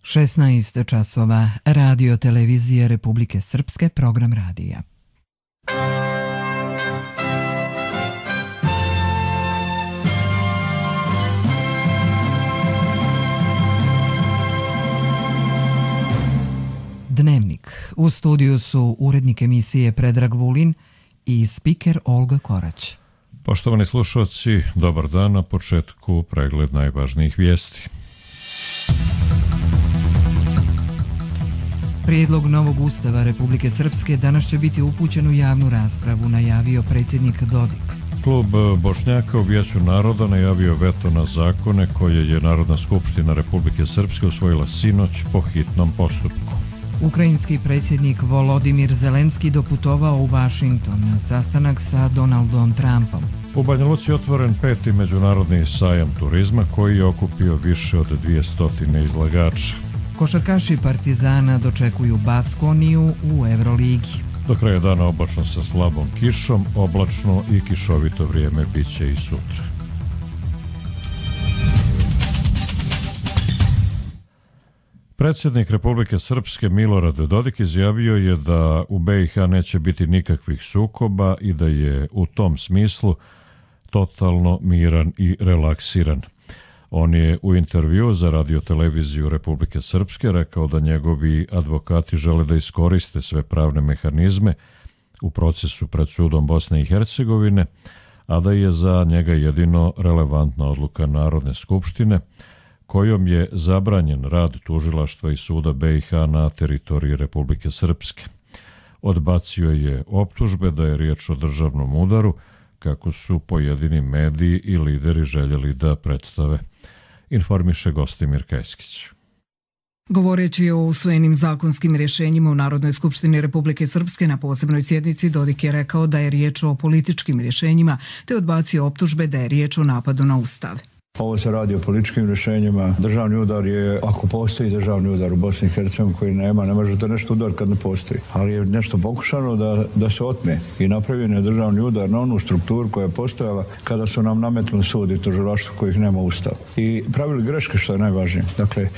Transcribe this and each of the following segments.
16 časova, Radio televizije Republike Srpske, program radija. Dnevnik. U studiju su urednik emisije Predrag Vulin i spiker Olga Korać. Poštovani slušalci, dobar dan, na početku pregled najvažnijih vijesti. Prijedlog novog ustava Republike Srpske danas će biti upućen u javnu raspravu, najavio predsjednik Dodik. Klub Bošnjaka u Vijeću naroda najavio veto na zakone koje je Narodna skupština Republike Srpske usvojila sinoć po hitnom postupku. Ukrajinski predsjednik Volodimir Zelenski doputovao u Washington na sastanak sa Donaldom Trumpom. U Banja Luci otvoren 5. međunarodni sajam turizma koji je okupio više od 200 izlagača. Košarkaši Partizana dočekuju Baskoniju u Euroligi. Do kraja dana oblačno sa slabom kišom, oblačno i kišovito vrijeme biće i sutra. Predsjednik Republike Srpske Milorad Dodik izjavio je da u BiH neće biti nikakvih sukoba i da je u tom smislu totalno miran i relaksiran. On je u intervjuu za Radio televiziju Republike Srpske rekao da njegovi advokati žele da iskoriste sve pravne mehanizme u procesu pred sudom Bosne i Hercegovine, a da je za njega jedino relevantna odluka Narodne skupštine kojom je zabranjen rad tužilaštva i suda BiH na teritoriji Republike Srpske. Odbacio je optužbe da je riječ o državnom udaru, kako su pojedini mediji i lideri željeli da predstave, informiše Gostimir Kajskić. Govoreći o usvojenim zakonskim rješenjima u Narodnoj skupštini Republike Srpske na posebnoj sjednici, Dodik je rekao da je riječ o političkim rješenjima, te odbacio optužbe da je riječ o napadu na Ustav. Ovo se radi o političkim rješenjima. Državni udar je, ako postoji državni udar u Bosni i Hercegovini koji ne možete nešto udariti kad ne postoji. Ali je nešto pokušano da se otme i napravljen je državni udar na onu strukturu koja je postojala kada su nam nametnuli sud i tužilaštvo kojih nema Ustav. I pravili greške, što je najvažnije. Dakle,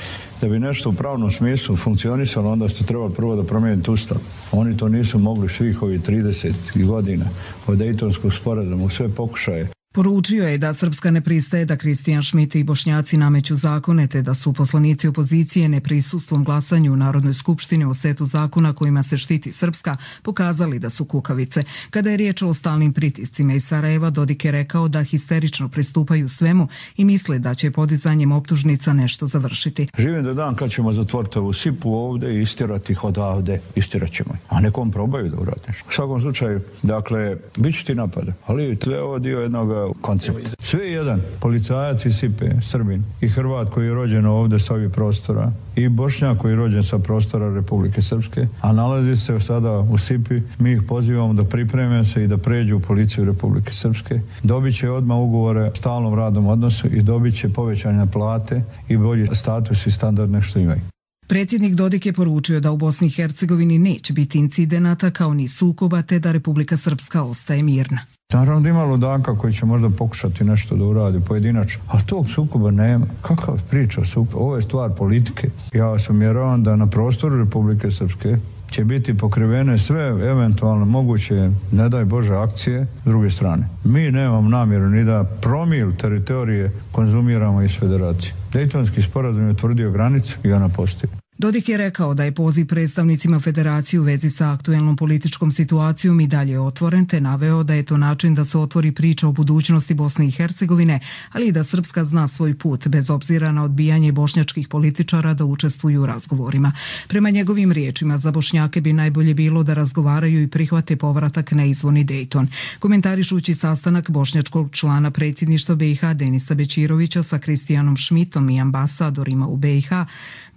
da bi nešto u pravnom smislu funkcionisalo, onda ste trebali prvo da promijenite Ustav. Oni to nisu mogli svih ovih 30 godina od Dejtonskog sporazuma u sve pokušaje. Poručio je da Srpska ne pristaje da Kristijan Šmit i Bošnjaci nameću zakone, te da su poslanici opozicije neprisustvom glasanju u Narodnoj skupštini o setu zakona kojima se štiti Srpska pokazali da su kukavice. Kada je riječ o stalnim pritiscima iz Sarajeva, Dodik je rekao da histerično pristupaju svemu i misle da će podizanjem optužnica nešto završiti. Živim da dan kad ćemo zatvoriti ovu sipu ovdje i istirati ih odavde, istirat ćemo ih. A nekom probaju da urade. U svakom slučaju, dakle, bit će ti napada, ali to je ovo dio jednog koncept. Sve je jedan, policajac iz Sipe, Srbin, i Hrvat koji je rođen ovdje sa ovih prostora, i Bošnjak koji je rođen sa prostora Republike Srpske, a nalazi se sada u Sipi. Mi ih pozivamo da pripreme se i da pređu u policiju Republike Srpske. Dobit će odmah ugovore o stalnom radnom odnosu i dobit će povećanje plate i bolji status i standard nek što imaju. Predsjednik Dodik je poručio da u Bosni i Hercegovini neće biti incidenata kao ni sukoba, te da Republika Srpska ostaje mirna. Naravno da ima ludaka koji će možda pokušati nešto da uradi pojedinačno, ali tog sukoba nema. Kakav priča sukoba? Ovo je stvar politike. Ja vas uvjeravam da na prostoru Republike Srpske će biti pokrivene sve eventualno moguće, ne daj Bože, akcije s druge strane. Mi nemamo namjeru ni da promil teritorije konzumiramo iz federacije. Dejtonski sporazum je utvrdio granicu i ona postoji. Dodik je rekao da je poziv predstavnicima federacije u vezi sa aktuelnom političkom situacijom i dalje otvoren, te naveo da je to način da se otvori priča o budućnosti Bosne i Hercegovine, ali i da Srpska zna svoj put, bez obzira na odbijanje bošnjačkih političara da učestvuju u razgovorima. Prema njegovim riječima, za Bošnjake bi najbolje bilo da razgovaraju i prihvate povratak na izvorni Dejton. Komentarišući sastanak bošnjačkog člana predsjedništva BiH Denisa Bećirovića sa Kristijanom Šmitom i ambasadorima u BiH,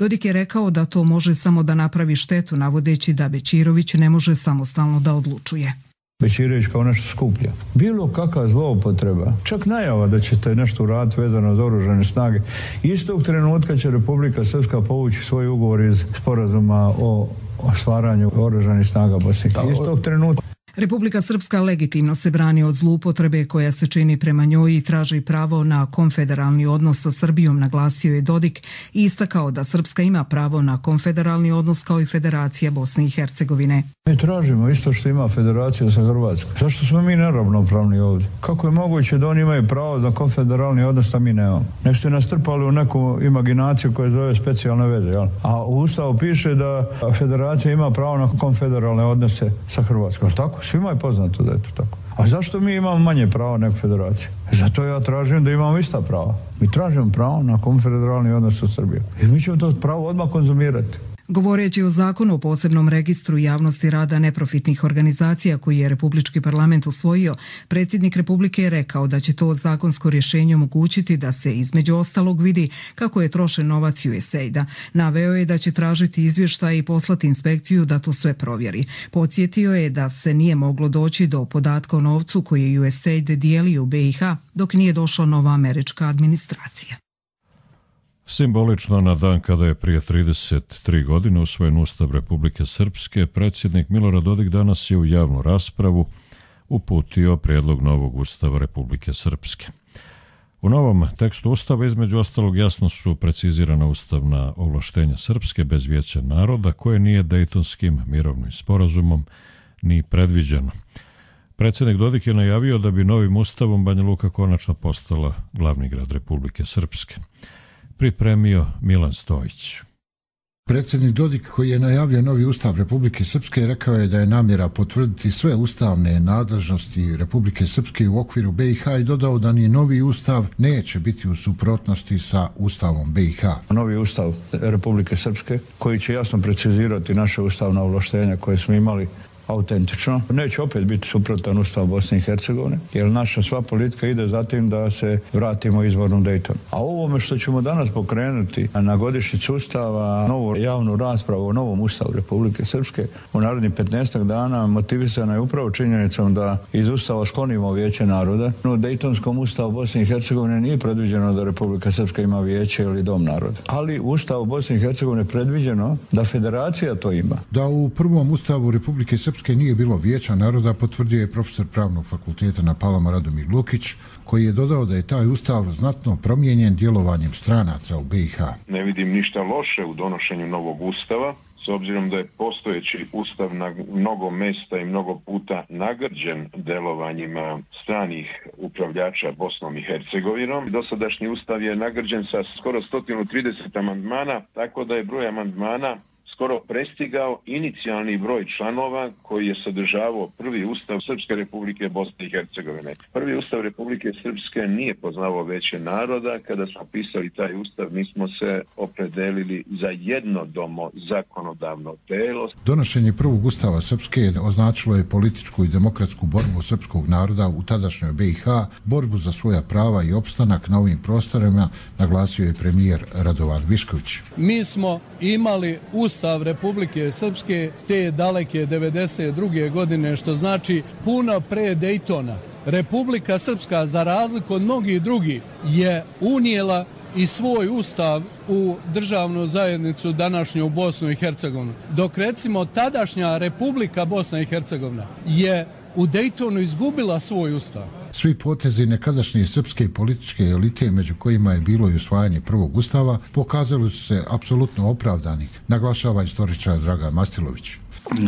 Dodik je rekao da to može samo da napravi štetu, navodeći da Bećirović ne može samostalno da odlučuje. Bećirović kao nešto skuplja. Bilo kakva zloupotreba, čak najava da ćete nešto uraditi vezano za oružane snage. Istog trenutka će Republika Srpska povući svoj ugovor iz sporazuma o stvaranju oružanih snaga Bosne. Istog trenutka. Republika Srpska legitimno se brani od zloupotrebe koja se čini prema njoj i traži pravo na konfederalni odnos sa Srbijom, naglasio je Dodik i istakao da Srpska ima pravo na konfederalni odnos kao i Federacija Bosne i Hercegovine. Mi tražimo isto što ima Federacija sa Hrvatskom. Zašto smo mi neravnopravni ovdje? Kako je moguće da oni imaju pravo na konfederalni odnos, a mi nemamo? Nek ste nas trpali u neku imaginaciju koja zove specijalne veze, jel? A u Ustavu piše da Federacija ima pravo na konfederalne odnose sa Hrvatskom. Tako? Svima je poznato da je to tako. A zašto mi imamo manje prava nego Federacija? Zato ja tražim da imamo ista prava. Mi tražimo pravo na konfederalni odnos sa Srbijom. I mi ćemo to pravo odmah konzumirati. Govoreći o zakonu o posebnom registru javnosti rada neprofitnih organizacija koji je Republički parlament usvojio, predsjednik Republike je rekao da će to zakonsko rješenje omogućiti da se između ostalog vidi kako je trošen novac USAID-a. Naveo je da će tražiti izvještaj i poslati inspekciju da to sve provjeri. Podsjetio je da se nije moglo doći do podatka o novcu koji je USAID dijelio u BiH dok nije došla nova američka administracija. Simbolično na dan kada je prije 33 godine usvojen Ustav Republike Srpske, predsjednik Milorad Dodik danas je u javnu raspravu uputio prijedlog novog Ustava Republike Srpske. U novom tekstu Ustava između ostalog jasno su precizirana ustavna ovlaštenja Srpske bez Vijeća naroda koje nije Dejtonskim mirovnim sporazumom ni predviđeno. Predsjednik Dodik je najavio da bi novim Ustavom Banja Luka konačno postala glavni grad Republike Srpske. Pripremio Milan Stojić. Predsjednik Dodik, koji je najavio novi Ustav Republike Srpske, rekao je da je namjera potvrditi sve ustavne nadležnosti Republike Srpske u okviru BiH i dodao da ni novi Ustav neće biti u suprotnosti sa Ustavom BiH. Novi Ustav Republike Srpske, koji će jasno precizirati naše ustavna ovlaštenja koje smo imali autentično, neće opet biti suprotan Ustav Bosne i Hercegovine, jer naša sva politika ide za tim da se vratimo izvornom Dejtonu. A ovome što ćemo danas pokrenuti na godišnjicu Ustava, novu javnu raspravu o novom Ustavu Republike Srpske u narednih 15 dana motivisana je upravo činjenicom da iz Ustava sklonimo Vijeće naroda. U Dejtonskom Ustavu Bosne i Hercegovine nije predviđeno da Republika Srpska ima vijeće ili dom naroda. Ali u Ustavu Bosne i Hercegovine je predviđeno da Federacija to ima. Da u prvom Ustavu Republike Srpske nije bilo Vijeća naroda, potvrdio je profesor Pravnog fakulteta na Palama Radomir Lukić, koji je dodao da je taj ustav znatno promijenjen djelovanjem stranaca u BiH. Ne vidim ništa loše u donošenju novog ustava, s obzirom da je postojeći ustav na mnogo mjesta i mnogo puta nagrđen delovanjima stranih upravljača Bosnom i Hercegovinom. Dosadašnji ustav je nagrđen sa skoro 130 amandmana, tako da je broj amandmana skoro prestigao inicijalni broj članova koji je sadržavao prvi ustav Srpske Republike Bosne i Hercegovine. Prvi ustav Republike Srpske nije poznavao Vijeće naroda. Kada smo pisali taj ustav, mi smo se opredelili za jednodomo zakonodavno telo. Donošenje prvog ustava Srpske označilo je političku i demokratsku borbu srpskog naroda u tadašnjoj BiH, borbu za svoja prava i opstanak na ovim prostorima, naglasio je premijer Radovan Višković. Mi smo imali Ustav Republike Srpske te daleke 92. godine, što znači puno pre Dejtona. Republika Srpska, za razliku od mnogih drugih, je unijela i svoj ustav u državnu zajednicu današnju Bosnu i Hercegovinu. Dok recimo tadašnja Republika Bosna i Hercegovina je u Dejtonu izgubila svoj ustav. Svi potezi nekadašnje srpske političke elite, među kojima je bilo i usvajanje prvog ustava, pokazali su se apsolutno opravdani, naglašava istoričar Dragan Mastilović.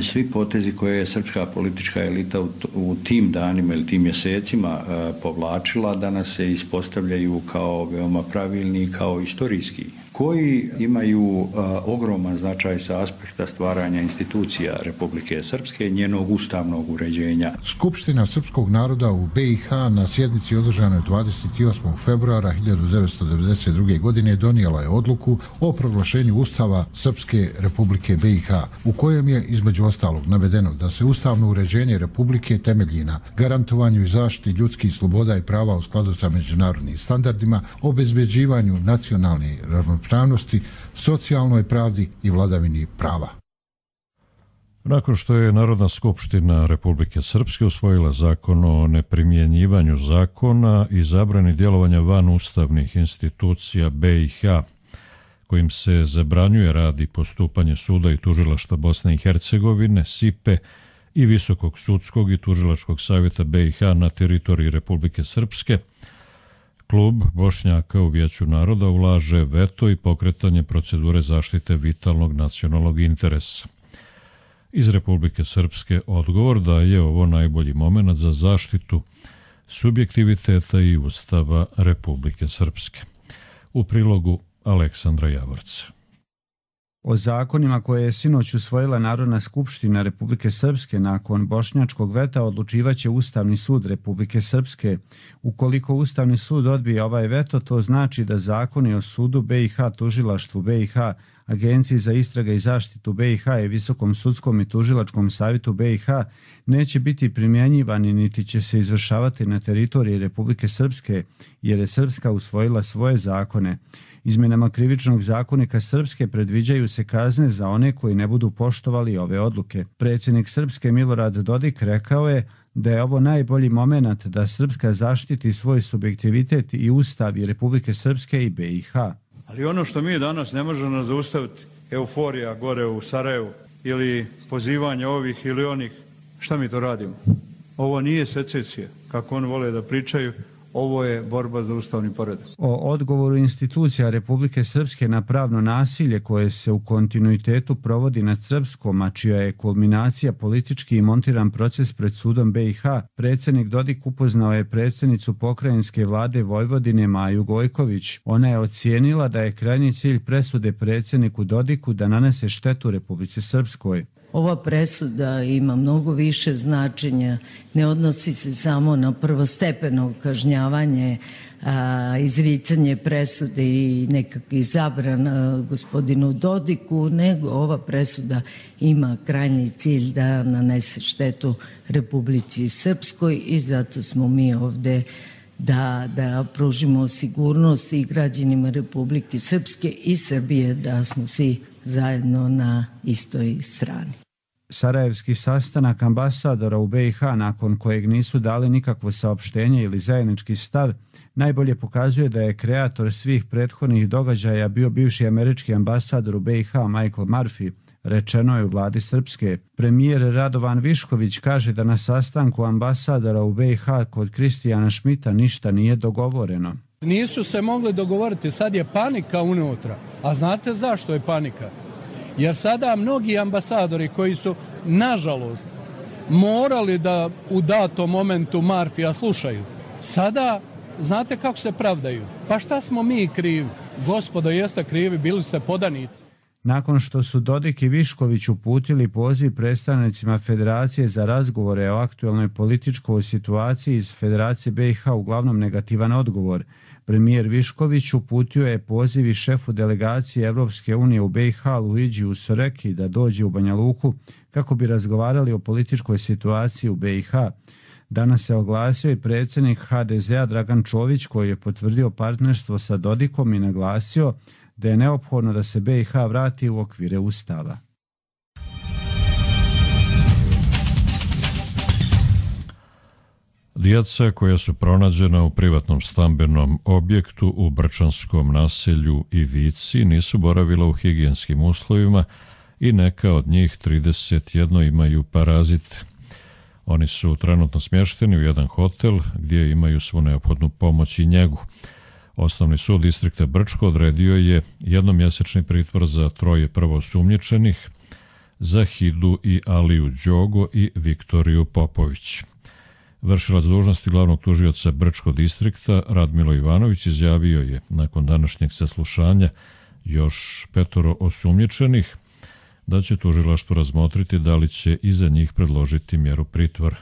Svi potezi koje je srpska politička elita u tim danima ili tim mjesecima povlačila danas se ispostavljaju kao veoma pravilni, kao istorijski, koji imaju ogroman značaj sa aspekta stvaranja institucija Republike Srpske, njenog ustavnog uređenja. Skupština srpskog naroda u BiH na sjednici održanoj 28. februara 1992. godine donijela je odluku o proglašenju Ustava Srpske Republike BiH, u kojem je između ostalog navedeno da se ustavno uređenje Republike temelji na garantovanju i zaštiti ljudskih sloboda i prava u skladu sa međunarodnim standardima, obezbeđivanju nacionalne ravnopravnosti, socijalnoj pravdi i vladavini prava. Nakon što je Narodna skupština Republike Srpske usvojila zakon o neprimjenjivanju zakona i zabrani djelovanja van ustavnih institucija BiH, kojim se zabranjuje rad i postupanje suda i tužilaštva Bosne i Hercegovine, SIPE i Visokog sudskog i tužilačkog savjeta BiH na teritoriji Republike Srpske, Klub Bošnjaka u Vijeću naroda ulaže veto i pokretanje procedure zaštite vitalnog nacionalnog interesa. Iz Republike Srpske odgovor da je ovo najbolji moment za zaštitu subjektiviteta i Ustava Republike Srpske. U prilogu Aleksandra Javorca. O zakonima koje je sinoć usvojila Narodna skupština Republike Srpske nakon bošnjačkog veta odlučivaće Ustavni sud Republike Srpske. Ukoliko Ustavni sud odbije ovaj veto, to znači da zakoni o sudu BiH, tužilaštvu BiH, Agenciji za istrage i zaštitu BiH i Visokom sudskom i tužilačkom savjetu BiH neće biti primjenjivani niti će se izvršavati na teritoriji Republike Srpske, jer je Srpska usvojila svoje zakone. Izmjenama krivičnog zakonika Srpske predviđaju se kazne za one koji ne budu poštovali ove odluke. Predsjednik Srpske Milorad Dodik rekao je da je ovo najbolji moment da Srpska zaštiti svoj subjektivitet i Ustav i Republike Srpske i BiH. Ali ono što mi danas ne možemo zaustaviti, euforija gore u Sarajevu ili pozivanje ovih ili onih, šta mi to radimo? Ovo nije secesija, kako oni vole da pričaju. Ovo je borba za ustavni poredak. O odgovoru institucija Republike Srpske na pravno nasilje koje se u kontinuitetu provodi nad Srpskom, a čija je kulminacija politički i montiran proces pred sudom BiH, predsjednik Dodik upoznao je predsjednicu pokrajinske vlade Vojvodine Maju Gojković. Ona je ocijenila da je krajnji cilj presude predsjedniku Dodiku da nanese štetu Republici Srpskoj. Ova presuda ima mnogo više značenja, ne odnosi se samo na prvostepeno kažnjavanje, izricanje presude i nekakvih zabrana gospodinu Dodiku, nego ova presuda ima krajnji cilj da nanese štetu Republici Srpskoj i zato smo mi ovde da pružimo sigurnost i građanima Republike Srpske i Srbije, da smo svi zajedno na istoj strani. Sarajevski sastanak ambasadora u BiH, nakon kojeg nisu dali nikakvo saopštenje ili zajednički stav, najbolje pokazuje da je kreator svih prethodnih događaja bio bivši američki ambasador u BiH Michael Murphy, rečeno je u vladi Srpske. Premijer Radovan Višković kaže da na sastanku ambasadora u BiH kod Kristijana Šmita ništa nije dogovoreno. Nisu se mogli dogovoriti, sad je panika unutra. A znate zašto je panika? Jer sada mnogi ambasadori koji su, nažalost, morali da u datom momentu Marfija slušaju, sada, znate kako se pravdaju? Pa šta smo mi krivi? Gospodo, jeste krivi, bili ste podanici. Nakon što su Dodik i Višković uputili poziv predstavnicima Federacije za razgovore o aktualnoj političkoj situaciji iz Federacije BiH uglavnom negativan odgovor, premijer Višković uputio je poziv i šefu delegacije Evropske unije u BiH Luigiju Soreki da dođe u Banja Luku kako bi razgovarali o političkoj situaciji u BiH. Danas se oglasio i predsjednik HDZ-a Dragan Čović koji je potvrdio partnerstvo sa Dodikom i naglasio da je neophodno da se BiH vrati u okvire Ustava. Djeca koja su pronađena u privatnom stambenom objektu u Brčanskom naselju Ivici nisu boravila u higijenskim uslovima i neka od njih 31 imaju parazite. Oni su trenutno smješteni u jedan hotel gdje imaju svu neophodnu pomoć i njegu. Osnovni sud distrikta Brčko odredio je jednomjesečni pritvor za 3 prvoosumnjičenih, Zahidu i Aliju Đogo i Viktoriju Popović. Vršilac dužnosti glavnog tužioca Brčkog distrikta Radmilo Ivanović izjavio je nakon današnjeg saslušanja još 5 osumnjičenih da će tužilaštvo razmotriti da li će i za njih predložiti mjeru pritvora.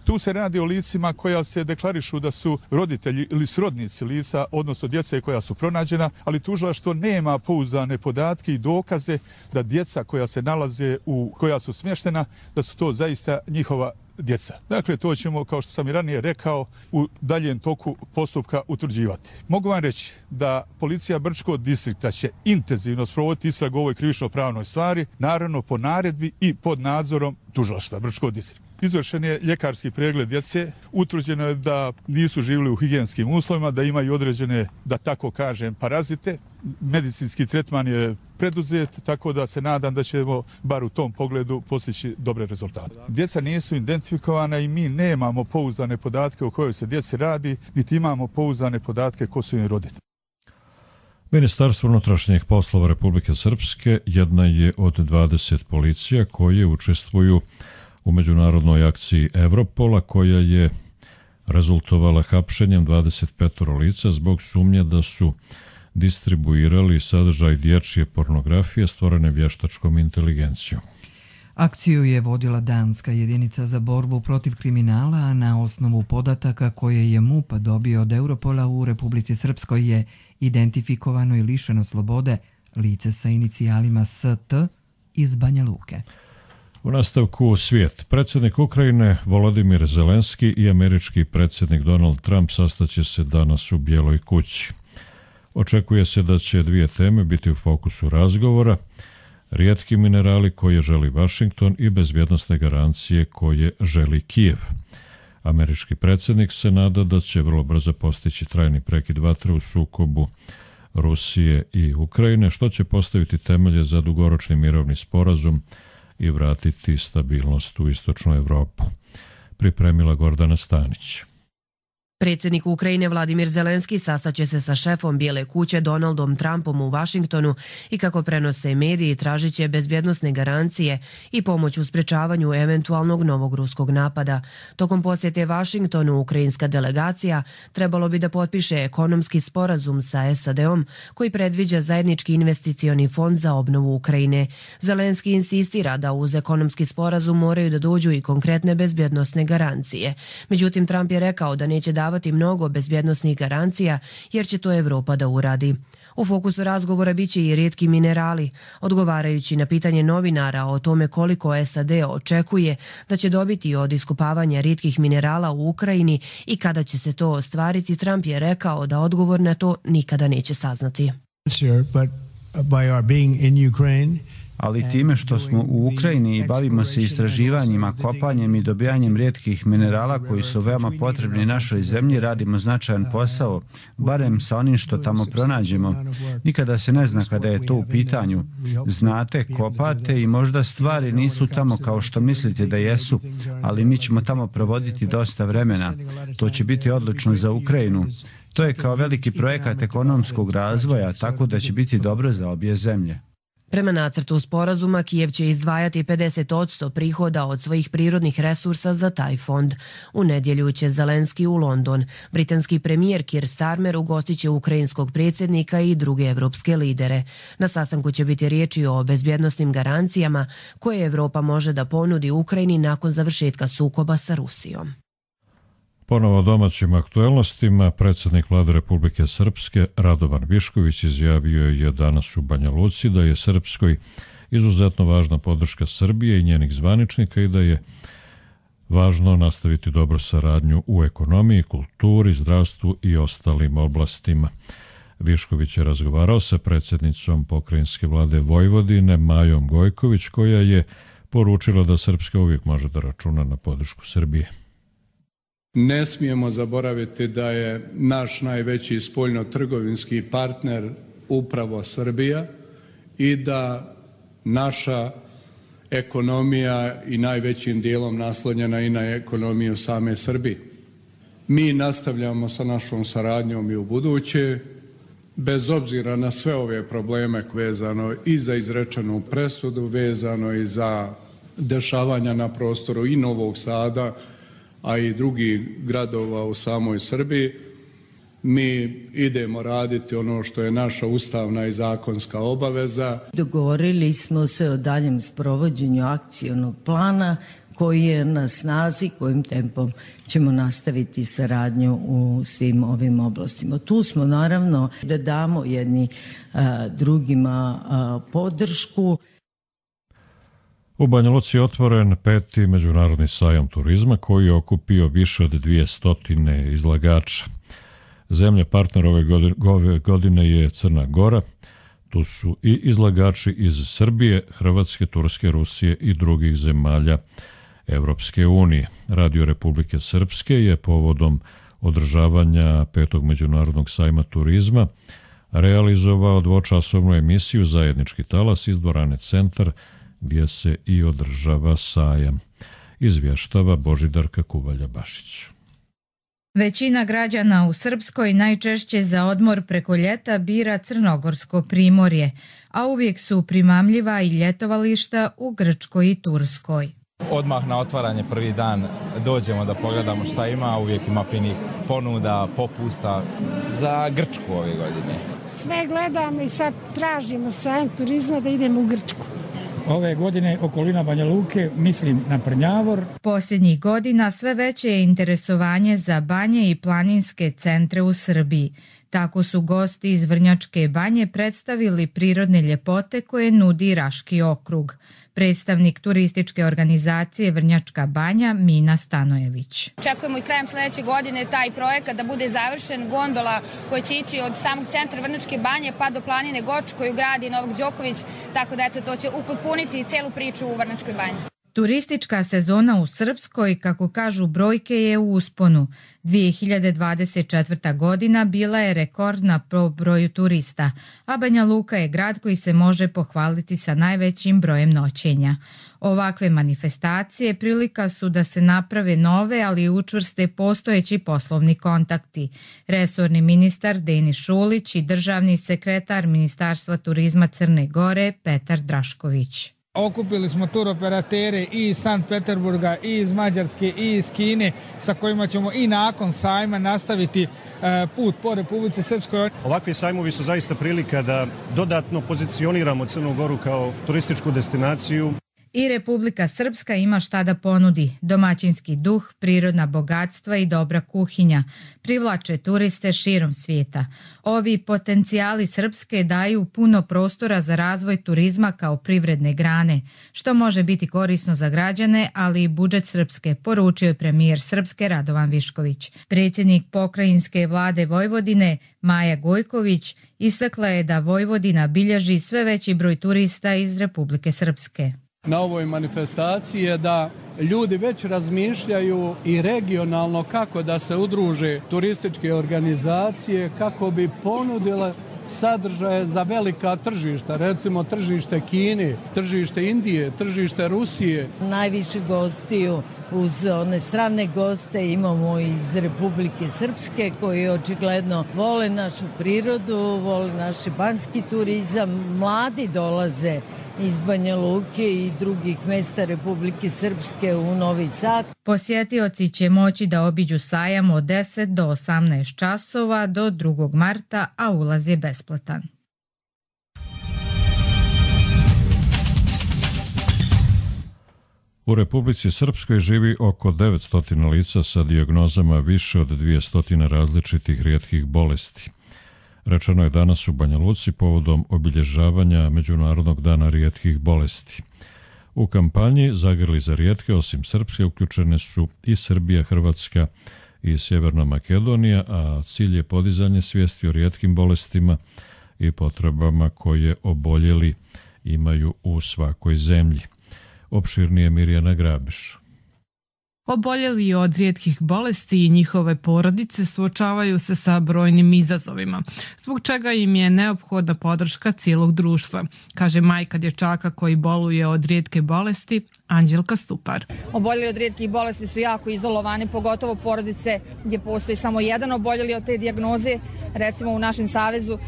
Tu se radi o licima koja se deklarišu da su roditelji ili srodnici lica, odnosno djece koja su pronađena, ali tužilaštvo nema pouzdane podatke i dokaze da djeca koja se nalaze koja su smještena, da su to zaista njihova djeca. Dakle, to ćemo, kao što sam i ranije rekao, u daljem toku postupka utvrđivati. Mogu vam reći da policija Brčkog distrikta će intenzivno sprovoditi istragu o ovoj krivično-pravnoj stvari, naravno po naredbi i pod nadzorom tužilaštva Brčkog distrikta. Izvršen je ljekarski pregled djece, utvrđeno je da nisu živjeli u higijenskim uslovima, da imaju određene, da tako kažem, parazite. Medicinski tretman je preduzet, tako da se nadam da ćemo bar u tom pogledu postići dobre rezultate. Djeca nisu identifikovana i mi nemamo pouzdane podatke o kojoj se djeci radi, niti imamo pouzdane podatke ko su im roditelji. Ministarstvo unutrašnjih poslova Republike Srpske jedna je od 20 policija koje učestvuju u međunarodnoj akciji Evropola koja je rezultovala hapšenjem 25 lica zbog sumnje da su distribuirali sadržaj dječje pornografije stvorene vještačkom inteligencijom. Akciju je vodila danska jedinica za borbu protiv kriminala, a na osnovu podataka koje je MUP dobio od Europola u Republici Srpskoj je identifikovano i lišeno slobode lice sa inicijalima ST iz Banja Luke. U nastavku svijet. Predsjednik Ukrajine Volodimir Zelenski i američki predsjednik Donald Trump sastaće se danas u Bijeloj kući. Očekuje se da će dvije teme biti u fokusu razgovora: rijetki minerali koje želi Washington i bezbjednosne garancije koje želi Kijev. Američki predsjednik se nada da će vrlo brzo postići trajni prekid vatre u sukobu Rusije i Ukrajine, što će postaviti temelje za dugoročni mirovni sporazum i vratiti stabilnost u istočnu Evropu. Pripremila Gordana Stanić. Predsjednik Ukrajine Vladimir Zelenski sastaće se sa šefom Bijele kuće Donaldom Trumpom u Washingtonu i, kako prenose mediji, tražit će bezbjednosne garancije i pomoć u sprečavanju eventualnog novog ruskog napada. Tokom posjete Washingtonu ukrajinska delegacija trebalo bi da potpiše ekonomski sporazum sa SAD-om koji predviđa zajednički investicioni fond za obnovu Ukrajine. Zelenski insistira da uz ekonomski sporazum moraju da dođu i konkretne bezbjednosne garancije. Međutim, Trump je rekao da neće davati mnogo bezbjednosnih garancija jer će to Evropa da uradi. U fokusu razgovora biće i rijetki minerali. Odgovarajući na pitanje novinara o tome koliko SAD očekuje da će dobiti od iskopavanja rijetkih minerala u Ukrajini i kada će se to ostvariti, Trump je rekao da odgovor na to nikada neće saznati. Ali time što smo u Ukrajini i bavimo se istraživanjima, kopanjem i dobijanjem rijetkih minerala koji su veoma potrebni našoj zemlji, radimo značajan posao, barem sa onim što tamo pronađemo. Nikada se ne zna kada je to u pitanju. Znate, kopate i možda stvari nisu tamo kao što mislite da jesu, ali mi ćemo tamo provoditi dosta vremena. To će biti odlično za Ukrajinu. To je kao veliki projekat ekonomskog razvoja, tako da će biti dobro za obje zemlje. Prema nacrtu sporazuma, Kijev će izdvajati 50% prihoda od svojih prirodnih resursa za taj fond. U nedjelju će Zelenski u London. Britanski premijer Keir Starmer ugostit će ukrajinskog predsjednika i druge evropske lidere. Na sastanku će biti riječi o bezbjednosnim garancijama koje Evropa može da ponudi Ukrajini nakon završetka sukoba sa Rusijom. Ponovo domaćim aktuelnostima, predsjednik Vlade Republike Srpske Radovan Višković izjavio je danas u Banja Luci da je Srpskoj izuzetno važna podrška Srbije i njenih zvaničnika i da je važno nastaviti dobru saradnju u ekonomiji, kulturi, zdravstvu i ostalim oblastima. Višković je razgovarao sa predsjednicom pokrajinske vlade Vojvodine Majom Gojković, koja je poručila da Srpska uvijek može da računa na podršku Srbije. Ne smijemo zaboraviti da je naš najveći spoljno-trgovinski partner upravo Srbija i da naša ekonomija i najvećim dijelom naslonjena i na ekonomiju same Srbije. Mi nastavljamo sa našom saradnjom i u buduće, bez obzira na sve ove probleme vezano i za izrečenu presudu, vezano i za dešavanja na prostoru i Novog Sada, a i drugih gradova u samoj Srbiji. Mi idemo raditi ono što je naša ustavna i zakonska obaveza. Dogovorili smo se o daljem sprovođenju akcionog plana koji je na snazi, kojim tempom ćemo nastaviti saradnju u svim ovim oblastima. Tu smo naravno da damo jedni drugima podršku. U Banja Luci je otvoren 5. međunarodni sajam turizma koji je okupio više od 200 izlagača. Zemlja partner ove godine je Crna Gora. Tu su i izlagači iz Srbije, Hrvatske, Turske, Rusije i drugih zemalja Evropske unije. Radio Republike Srpske je povodom održavanja 5. međunarodnog sajma turizma realizovao dvočasovnu emisiju Zajednički talas iz dvorane Centar, gdje se i održava sajam. Izvještava Božidarka Kuvalja-Bašić. Većina građana u Srpskoj najčešće za odmor preko ljeta bira Crnogorsko primorje, a uvijek su primamljiva i ljetovališta u Grčkoj i Turskoj. Odmah na otvaranje prvi dan dođemo da pogledamo šta ima, uvijek ima finih ponuda, popusta za Grčku ove godine. Sve gledamo i sad tražimo sajam turizma da idemo u Grčku. Ove godine okolina Banja Luke, mislim na Prnjavor. Posljednjih godina sve veće je interesovanje za banje i planinske centre u Srbiji. Tako su gosti iz Vrnjačke banje predstavili prirodne ljepote koje nudi Raški okrug. Predstavnik turističke organizacije Vrnjačka banja Mina Stanojević. Očekujemo i krajem sljedeće godine taj projekat da bude završen, gondola koja će ići od samog centra Vrnjačke banje pa do planine Goč koju gradi Novak Đoković, tako da to će upotpuniti celu priču u Vrnjačkoj banji. Turistička sezona u Srpskoj, kako kažu brojke, je u usponu. 2024. godina bila je rekordna po broju turista, a Banja Luka je grad koji se može pohvaliti sa najvećim brojem noćenja. Ovakve manifestacije prilika su da se naprave nove, ali i učvrste postojeći poslovni kontakti. Resorni ministar Denis Šulić i državni sekretar Ministarstva turizma Crne Gore Petar Drašković. Okupili smo turoperatere i iz Sankt Peterburga, i iz Mađarske, i iz Kine, sa kojima ćemo i nakon sajma nastaviti put po Republici Srpskoj. Ovakvi sajmovi su zaista prilika da dodatno pozicioniramo Crnu Goru kao turističku destinaciju. I Republika Srpska ima šta da ponudi. Domaćinski duh, prirodna bogatstva i dobra kuhinja privlače turiste širom svijeta. Ovi potencijali Srpske daju puno prostora za razvoj turizma kao privredne grane, što može biti korisno za građane, ali i budžet Srpske, poručio je premijer Srpske Radovan Višković. Predsjednik pokrajinske vlade Vojvodine Maja Gojković istakla je da Vojvodina bilježi sve veći broj turista iz Republike Srpske. Na ovoj manifestaciji je da ljudi već razmišljaju i regionalno kako da se udruže turističke organizacije, kako bi ponudile sadržaje za velika tržišta, recimo tržište Kine, tržište Indije, tržište Rusije. Najviše gostiju uz one strane goste imamo iz Republike Srpske koji očigledno vole našu prirodu, vole naš banjski turizam, mladi dolaze iz Banja Luke i drugih mesta Republike Srpske u Novi Sad. Posjetioci će moći da obiđu sajam od 10 do 18 časova do 2. marta, a ulaz je besplatan. U Republici Srpskoj živi oko 900 lica sa dijagnozama više od 200 različitih rijetkih bolesti. Rečeno je danas u Banja Luci povodom obilježavanja Međunarodnog dana rijetkih bolesti. U kampanji Zagrli za rijetke, osim Srpske, uključene su i Srbija, Hrvatska i Sjeverna Makedonija, a cilj je podizanje svijesti o rijetkim bolestima i potrebama koje oboljeli imaju u svakoj zemlji. Opširnije Mirjana Grabiš. Oboljeli od rijetkih bolesti i njihove porodice suočavaju se sa brojnim izazovima, zbog čega im je neophodna podrška cijelog društva, kaže majka dječaka koji boluje od rijetke bolesti, Anđelka Stupar. Oboljeli od rijetkih bolesti su jako izolovani, pogotovo porodice gdje postoji samo jedan oboljeli od te dijagnoze. Recimo u našem savezu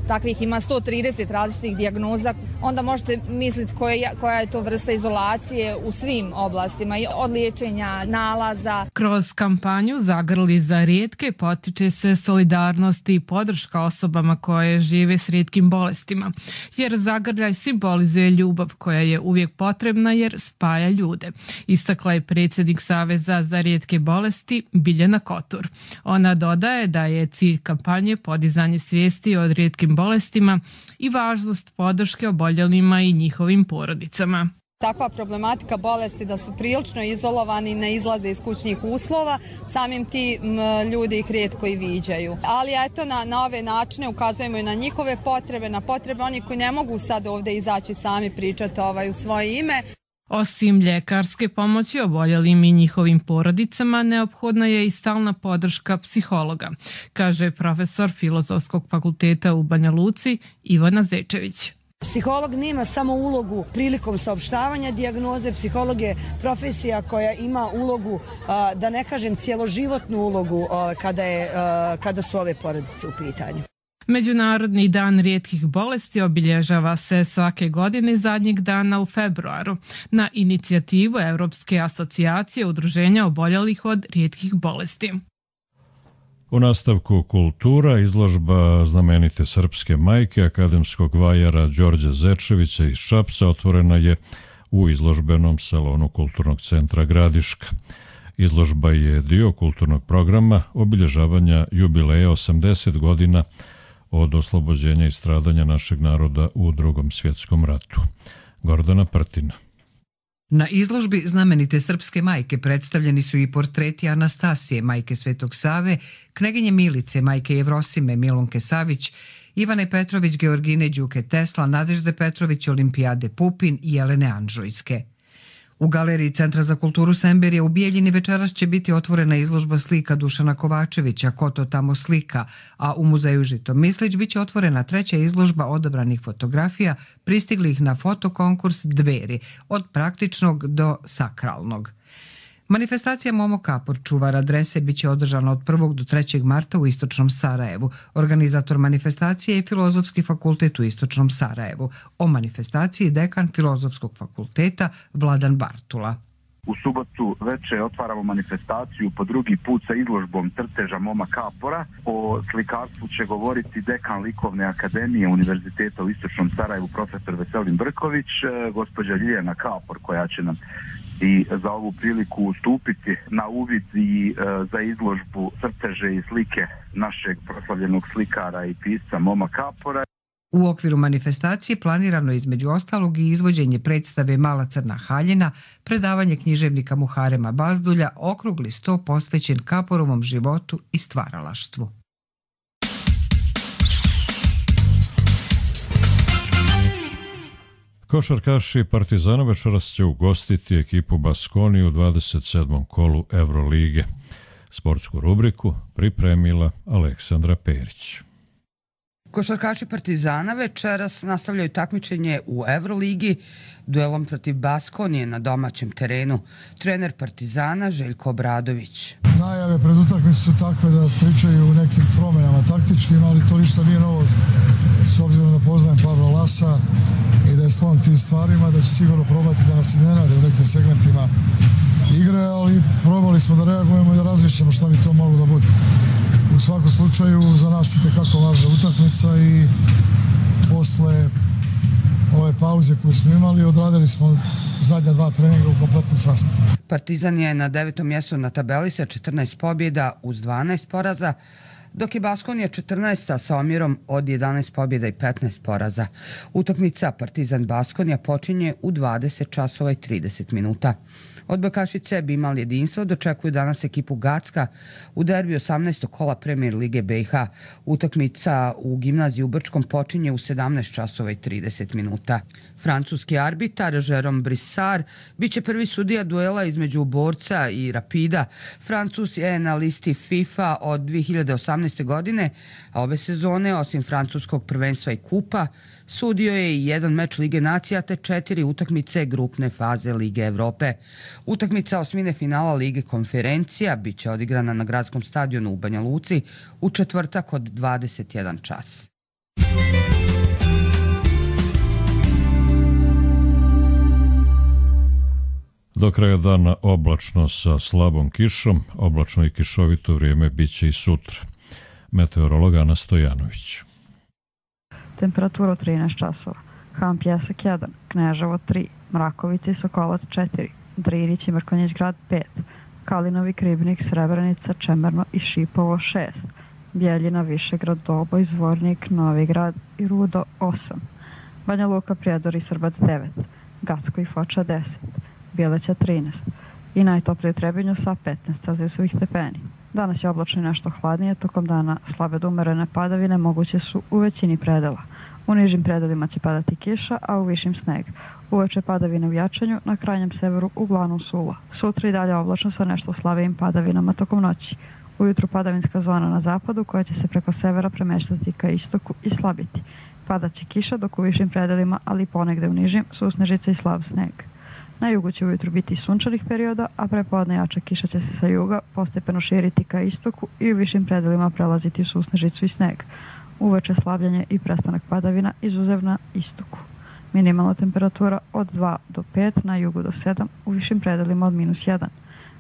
takvih ima 130 različitih dijagnoza. Onda možete misliti koja je to vrsta izolacije u svim oblastima, od liječenja, nalaza. Kroz kampanju Zagrli za rijetke potiče se solidarnost i podrška osobama koje žive s rijetkim bolestima, jer zagrljaj simbolizuje ljubav koja je uvijek potrebna jer spaja ljude, istakla je predsjednik Saveza za rijetke bolesti Biljana Kotur. Ona dodaje da je cilj kampanje podizanje svijesti o rijetkim bolestima i važnost podrške oboljelima i njihovim porodicama. Takva problematika bolesti da su prilično izolovani, ne izlaze iz kućnih uslova, samim ti ljudi ih rijetko i viđaju. Ali eto, na ove načine ukazujemo i na njihove potrebe, na potrebe onih koji ne mogu sad ovdje izaći sami pričati u svoje ime. Osim ljekarske pomoći oboljelim i njihovim porodicama, neophodna je i stalna podrška psihologa, kaže profesor Filozofskog fakulteta u Banja Luci Ivana Zečević. Psiholog nema samo ulogu prilikom saopštavanja dijagnoze, psiholog je profesija koja ima ulogu, da ne kažem cjeloživotnu ulogu kada su ove porodice u pitanju. Međunarodni dan rijetkih bolesti obilježava se svake godine zadnjeg dana u februaru na inicijativu Europske asocijacije udruženja oboljelih od rijetkih bolesti. U nastavku kultura, izložba znamenite srpske majke akademskog vajara Đorđa Zečevića iz Šapca otvorena je u izložbenom salonu Kulturnog centra Gradiška. Izložba je dio kulturnog programa obilježavanja jubileja 80 godina od oslobođenja i stradanja našeg naroda u Drugom svjetskom ratu. Gordana Prtina. Na izložbi znamenite srpske majke predstavljeni su i portreti Anastasije, majke Svetog Save, kneginje Milice, majke Jevrosime, Milunke Savić, Ivane Petrović, Georgine Đuke Tesla, Nadežde Petrović, Olimpijade Pupin i Jelene Anžujske. U galeriji Centra za kulturu Semberija u Bijeljini večeras će biti otvorena izložba slika Dušana Kovačevića Ko to tamo slika, a u muzeju Žitomislić biće otvorena treća izložba odabranih fotografija pristiglih na fotokonkurs Dveri, od praktičnog do sakralnog. Manifestacija Momo Kapor, čuvar adrese, biće održana od 1. do 3. marta u Istočnom Sarajevu. Organizator manifestacije je Filozofski fakultet u Istočnom Sarajevu. O manifestaciji dekan Filozofskog fakulteta Vladan Bartula. U subotu večer otvaramo manifestaciju po drugi put sa izložbom crteža Moma Kapora. O slikarstvu će govoriti dekan Likovne akademije Univerziteta u Istočnom Sarajevu profesor Veselin Brković, gospođa Ljiljana Kapor koja će nam i za ovu priliku ustupiti na uvid i za izložbu crteže i slike našeg proslavljenog slikara i pisca Moma Kapora. U okviru manifestacije planirano je između ostalog i izvođenje predstave Mala crna haljina, predavanje književnika Muharema Bazdulja, okrugli sto posvećen Kaporovom životu i stvaralaštvu. Košarkaši Partizana večeras će ugostiti ekipu Baskoni u 27. kolu Evrolige. Sportsku rubriku pripremila Aleksandra Perić. Košarkaši Partizana večeras nastavljaju takmičenje u Evroligi duelom protiv Baskonije na domaćem terenu. Trener Partizana Željko Obradović. Najave pred utakmicu su takve da pričaju o nekim promjenama taktičkim, ali to ništa nije novo s obzirom da poznajem Pavla Lasa i da je sklon tim stvarima, da će sigurno probati da nas iznenade u nekim segmentima igre, ali probali smo da reagujemo i da razmišljamo šta bi to moglo da bude. U svakom slučaju za nas je itekako važna utakmica i posle ove pauze koju smo imali odradili smo zadnja 2 treninga u kompletnom sastavu. Partizan je na 9. mjestu na tabeli sa 14 pobjeda uz 12 poraza, dok je Baskonija 14. sa omjerom od 11 pobjeda i 15 poraza. Utakmica Partizan-Baskonija počinje u 20 časova i 30 minuta. Odbojkašice bi imali jedinstvo, dočekuju danas ekipu Gacka u derbi 18. kola Premier Lige BiH. Utakmica u gimnaziji u Brčkom počinje u 17 časova i 30 minuta. Francuski arbitar Jérôme Brissard biće prvi sudija duela između Borca i Rapida. Francus je na listi FIFA od 2018. godine, a ove sezone, osim francuskog prvenstva i kupa, sudio je i 1 meč Lige nacija te 4 utakmice grupne faze Lige Evrope. Utakmica osmine finala Lige konferencija biće odigrana na gradskom stadionu u Banja Luci u četvrtak od 21 čas. Do kraja dana oblačno sa slabom kišom, oblačno i kišovito vrijeme biće i sutra. Meteorolog Ana Stojanović. Temperatura 13 časova. Han Pjesak 1, Kneževo 3, Mrakovica i Sokolac 4, Drinić i Mrkonjić grad 5, Kalinovi, Kribnik, Srebrenica, Čemerno i Šipovo 6, Bjeljina, Višegrad, Doboj, Zvornik, Novi Grad i Rudo 8, Banja Luka, Prijedor i Srbac 9, Gacko i Foča 10, Bjeleća 13 i najtoplije u Trebinju sa 15 celzijusovih stepeni. Danas je oblačno i nešto hladnije, tokom dana slabe do umerene padavine moguće su u većini predela. U nižim predelima će padati kiša, a u višim sneg. Uveče padavine u jačanju, na krajnjem severu uglavnom suvo. Sutra i dalje oblačno sa nešto slabijim padavinama tokom noći. Ujutru padavinska zona na zapadu koja će se preko severa premeštati ka istoku i slabiti. Padaće kiša dok u višim predelima, ali ponegde u nižim, susnežice i slab sneg. Na jugu će ujutru biti sunčanih perioda, a prepodne jača kiša će se sa juga postepeno širiti ka istoku i u višim predelima prelaziti u susnežicu i sneg. Uveče slabljenje i prestanak padavina izuzev na istoku. Minimalna temperatura od 2 do 5, na jugu do 7, u višim predelima od -1.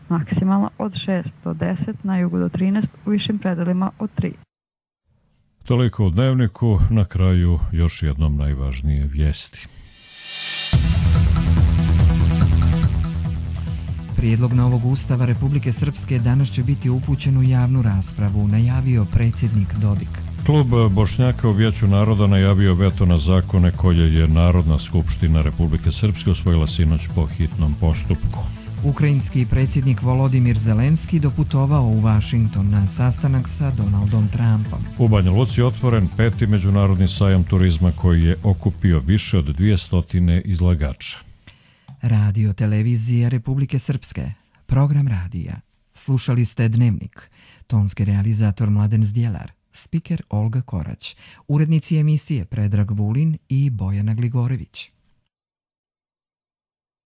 Maksimalna od 6 do 10, na jugu do 13, u višim predelima od 3. Toliko u dnevniku, na kraju još jednom najvažnije vijesti. Prijedlog novog ustava Republike Srpske danas će biti upućen u javnu raspravu, najavio predsjednik Dodik. Klub Bošnjaka u Vijeću naroda najavio veto na zakone koje je Narodna skupština Republike Srpske usvojila sinoć po hitnom postupku. Ukrajinski predsjednik Volodimir Zelenski doputovao u Washington na sastanak sa Donaldom Trumpom. U Banja Luci otvoren 5. međunarodni sajam turizma koji je okupio više od 200 izlagača. Radio televizija Republike Srpske, program radija. Slušali ste Dnevnik, tonski realizator Mladen Zdjelar, spiker Olga Korać, urednici emisije Predrag Vulin i Bojana Gligorević.